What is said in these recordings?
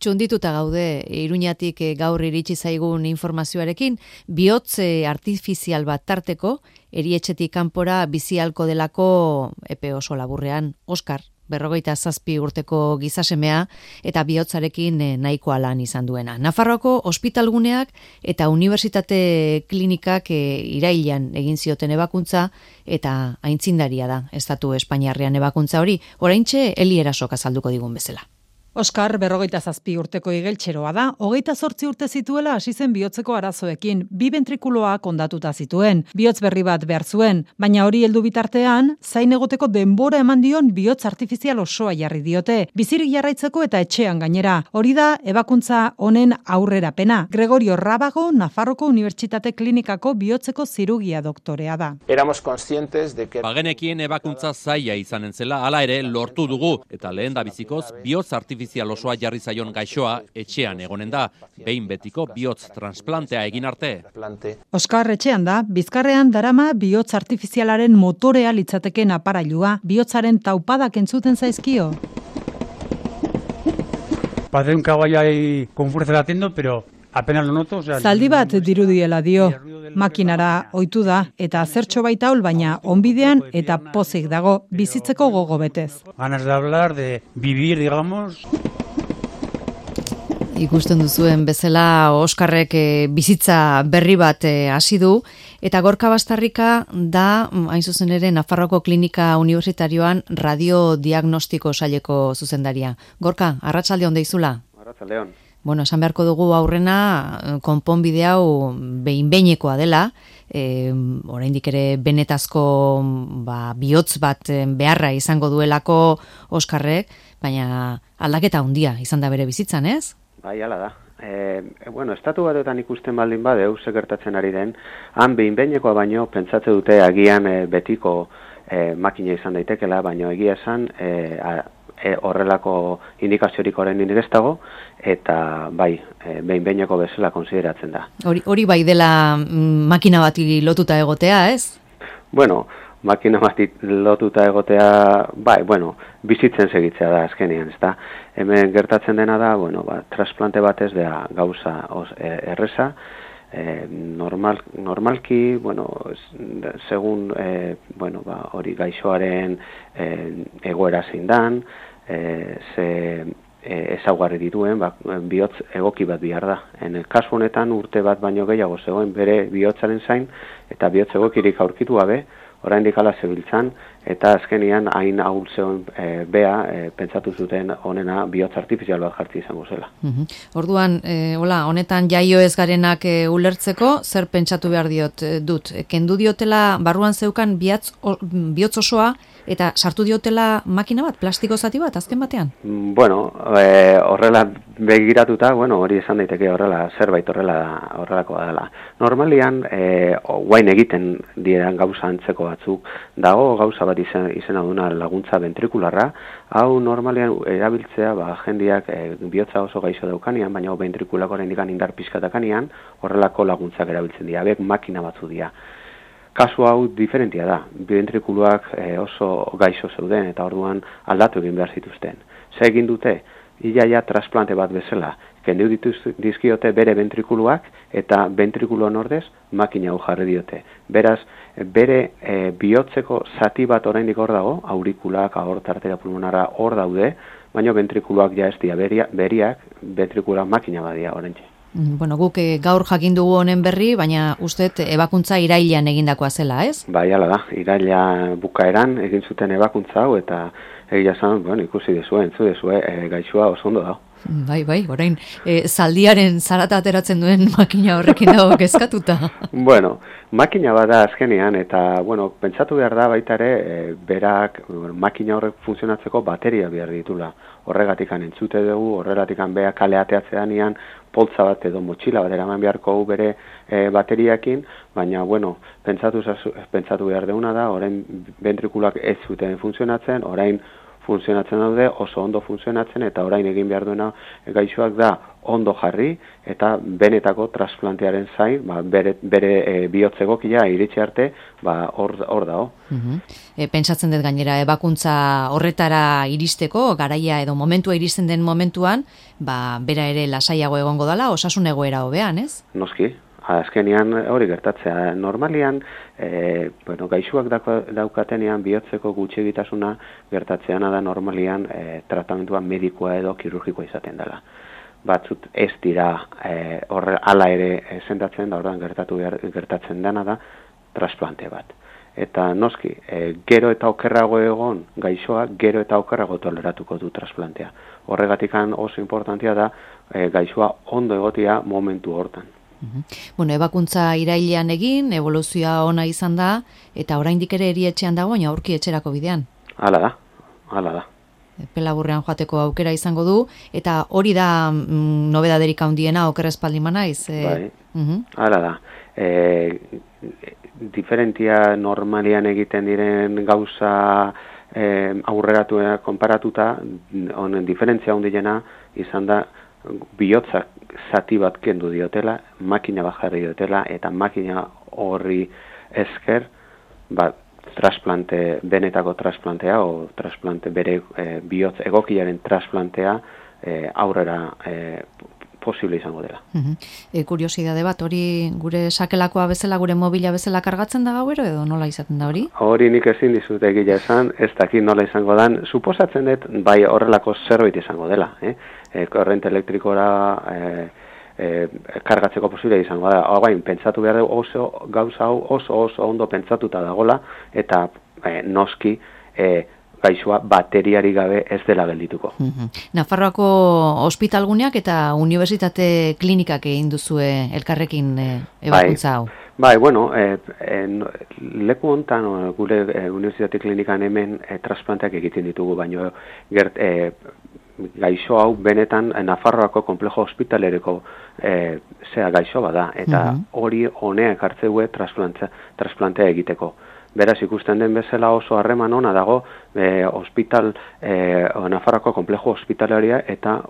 txundituta gaude Iruñatik gaur iritsi zaigun informazioarekin, bihotz artifizial bat tarteko, erietxetik kanpora bizialko delako epe oso laburrean, Oskar, 47 urteko gizasemea eta bihotzarekin nahikoa lan izan duena. Nafarroako ospitalguneak eta unibertsitate klinikak irailean egin zioten ebakuntza eta aintzindaria da estatu Espainiarrean ebakuntza hori, oraintxe Eli Erasok azalduko digun bezala. Oskar 47 urteko igeltxeroa da, 28 urte zituela hasi zen bihotzeko arazoekin, 2 ventrikuloak hondatuta zituen, bihotz berri bat behar zuen, baina hori heldu bitartean, zain egoteko denbora eman dion bihotz artifizial osoa jarri diote, bizirik jarraitzeko eta etxean gainera. Hori da ebakuntza honen aurrerapena. Gregorio Rábago, Nafarroko Unibertsitate Klinikako bihotzeko zirugia doktorea da. Éramos conscientes de que bagenekien ebakuntza zaila izanen zela, hala ere lortu dugu, eta lehen da bizikoz bihotz artifizial osoa jarri zaion gaixoa etxean egonen da, behin betiko bihotz transplantea egin arte. Oskar etxean da, Bizkarrean darama bihotz artifizialaren motorea litzateken aparailua, bihotzaren taupadak entzuten zaizkio. Parece un caballo ahí con fuerza latiendo, pero apenas lo noto. Zaldi bat dirudiela dio, makinara ohitu da, eta zertxo baita hol baina onbidean eta pozik dago, bizitzeko gogo betez. Ganas de hablar, de vivir, digamos. Ikusten duzuen bezala Oskarrek bizitza berri bat hasi du, eta Gorka Bastarrika da, hain zuzen ere, Nafarroako Klinika Unibertsitarioan radiodiagnostiko saileko zuzendaria. Gorka, arratsalde on deizula? Arratsaldeon. Bueno, esan beharko dugu aurrena konponbide hau behin-behinekoa dela, oraindik ere benetazko bihotz bat beharra izango duelako Oskarrek, baina aldaketa handia izan da bere bizitzan, ez? Bai, hala da. Estatu batetan ikusten baldin badeu, ze gertatzen ari den, han behin-behinekoa baino pentsatze dute agian betiko makina izan daitekela, baino egia esan horrelako indikaziorik oraindik ez dago, eta bai, behin-behineko bezala konsideratzen da. Hori bai dela makina bati lotuta egotea, ez? Bueno, makina bati lotuta egotea, bai, bizitzen segitzea da azkenean, ezta? Hemen gertatzen dena da, trasplante batez da gauza erreza, normalki, segun hori gaixoaren egoera zein dan, ezaugarri dituen, bihotz egoki bat behar da. Kasu honetan urte bat baino gehiago zegoen bere bihotzaren zain, eta bihotz egokirik aurkitu gabe, oraindik hala zebiltzan, eta azkenian hain ahul zegoen pentsatu zuten honena bihotz artifizial bat jartzi izango zela. Orduan, honetan jaio ez garenak ulertzeko, zer pentsatu behar dut? Kendu diotela barruan zeukan bihotz osoa, eta sartu diotela makina bat, plastiko zati bat, azken batean? Horrela begiratuta, hori esan daiteke horrela, zerbait horrelakoa dela. Normalian, guain egiten diren gauza antzeko batzuk, dago gauza bat izena duna laguntza ventrikularra, hau normalian erabiltzea, jendiak bihotza oso gaixo daukanian, baina ventrikulakoren ikan indar pizkatakanian, horrelako laguntzak erabiltzen dira, hauek makina batzu dira. Kasu hau diferentia da, ventrikuluak oso gaixo zeuden eta orduan aldatu egin behar zituzten. Ze egin dute, iaia trasplante bat bezala, kendu dizkiote bere ventrikuluak eta ventrikuloan ordez makina hau jarri diote. Beraz, bere bihotzeko zati bat oraindik hor dago, aurikulak, aorta, arteria pulmonara hor daude, baina ventrikuluak ja ez dira beriak, ventrikulak makina badia oraintxe. Guk gaur jakin dugu honen berri, baina uste ebakuntza irailean egindakoa zela, ez? Bai, hala da, iraila bukaeran egin zuten ebakuntza hau, eta egia zan, ikusi dezue, gaixoa oso ondo da. Bai, orain, zaldiaren zarata ateratzen duen makina horrekin dago kezkatuta. Makina bat da azkenean, eta, pentsatu behar da baita ere, berak, makina horrek funtzionatzeko bateria behar ditula. Horregatikan entzute dugu, horregatikan beha kale ateatzean poltza bat edo motxila bat eraman beharko bere bateriakin, baina, pentsatu behar deuna da, orain ventrikulak ez zuten funtzionatzen, orain funtzionatzen daude, oso ondo funtzionatzen, eta orain egin behar duena gaixoak da ondo jarri, eta benetako transplantearen zain, bere bihotz egokia iritsi arte, hor dago. Pentsatzen dut gainera, ebakuntza horretara iristeko, garaia edo momentua iristen den momentuan, bera ere lasaiago egongo dela, osasun egoera hobean, ez? Noski. Azkenean hori gertatzea. Normalian, gaixoak daukatenean bihotzeko gutxigitasuna gertatzeana da normalian tratamentua medikoa edo kirurgikoa izaten dela. Batzut ez dira hala ere sendatzen da, ordan gertatzen dena da trasplante bat. Eta noski, gero eta okerrago egon gaixoa, gero eta okerrago toleratuko du trasplantea. Horregatikan oso importantea da gaixoa ondo egotia momentu hortan. Bueno, ebakuntza irailean egin, evoluzioa ona izan da, eta oraindik ere erietxean dago, baina aurki etxerako bidean. Hala da. Pelaburrean joateko aukera izango du, eta hori da nobedaderik handiena okerrezpaldin manaiz. Bai, hala da. Diferentia normalian egiten diren gauza aurreratuena konparatuta, honen diferentzia handiena izan da bihotzak zati bat kendu diotela, makina bat jarri diotela, eta makina horri esker, benetako trasplantea, o trasplante bere bihotz egokiaren trasplantea aurrera posible izango dela. Kuriosidade bat, hori gure sakelakoa bezala, gure mobila bezala kargatzen da gauero, edo nola izaten da hori? Hori nik ezin dizut egila esan, ez dakit nola izango dan, suposatzen dut, bai horrelako zerbait izango dela, korrente elektrikora kargatzeko posible izango da. Baina, pentsatu behar dugu gauza hau oso ondo pentsatuta dagola, eta noski gaixoa bateriari gabe ez dela geldituko. Nafarroako ospitalguneak eta unibertsitate klinikak egin duzue elkarrekin ebakuntza hau. Bai, bueno, leku hontan gure unibertsitate klinikan hemen trasplanteak egiten ditugu, baino gaixo hau benetan Nafarroako konplejo hospitalereko gaixo bada, eta hori honeak hartzeue trasplantea egiteko. Beraz, ikusten den bezala oso harreman ona dago Nafarroako konplejo hospitalaria eta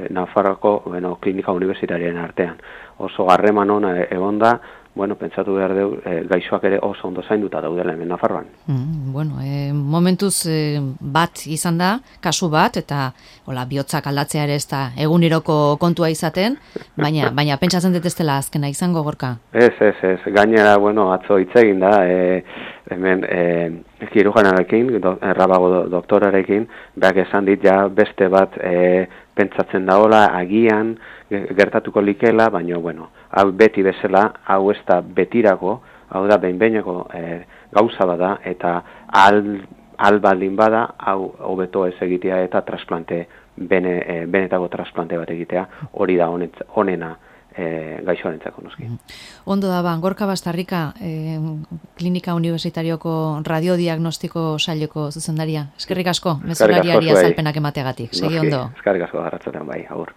Nafarroako klinika universitariaren artean. Oso harreman ona egon da, pentsatu behar dugu gaixoak ere oso ondo zainduta daudela hemen Nafarroan. Momentuz bat izan da, kasu bat, eta bihotzak aldatzea ere ez da eguneroko kontua izaten, baina pentsatzen dut ez dela azkena izango, Gorka? Ez, gainera, atzo hitz egin da, hemen kirujanarekin, Rabago doktorarekin, beak esan dit ja beste bat pentsatzen daola, agian gertatuko likela, baina, hau beti bezala, hau ez da betirako, hau da behin-behineko gauza bada, eta baldin bada, hau hobeto ez egitea eta benetako trasplante bat egitea, hori da honena gaixoarentzako noski. Ondo da, Gorka Bastarrika, Klinika Universitarioko radiodiagnostiko saileko zuzendaria. Eskerrik asko, mezulariari azalpenak emateagatik. Segi ondo. Eskerrik asko, arratsaldean bai, agur.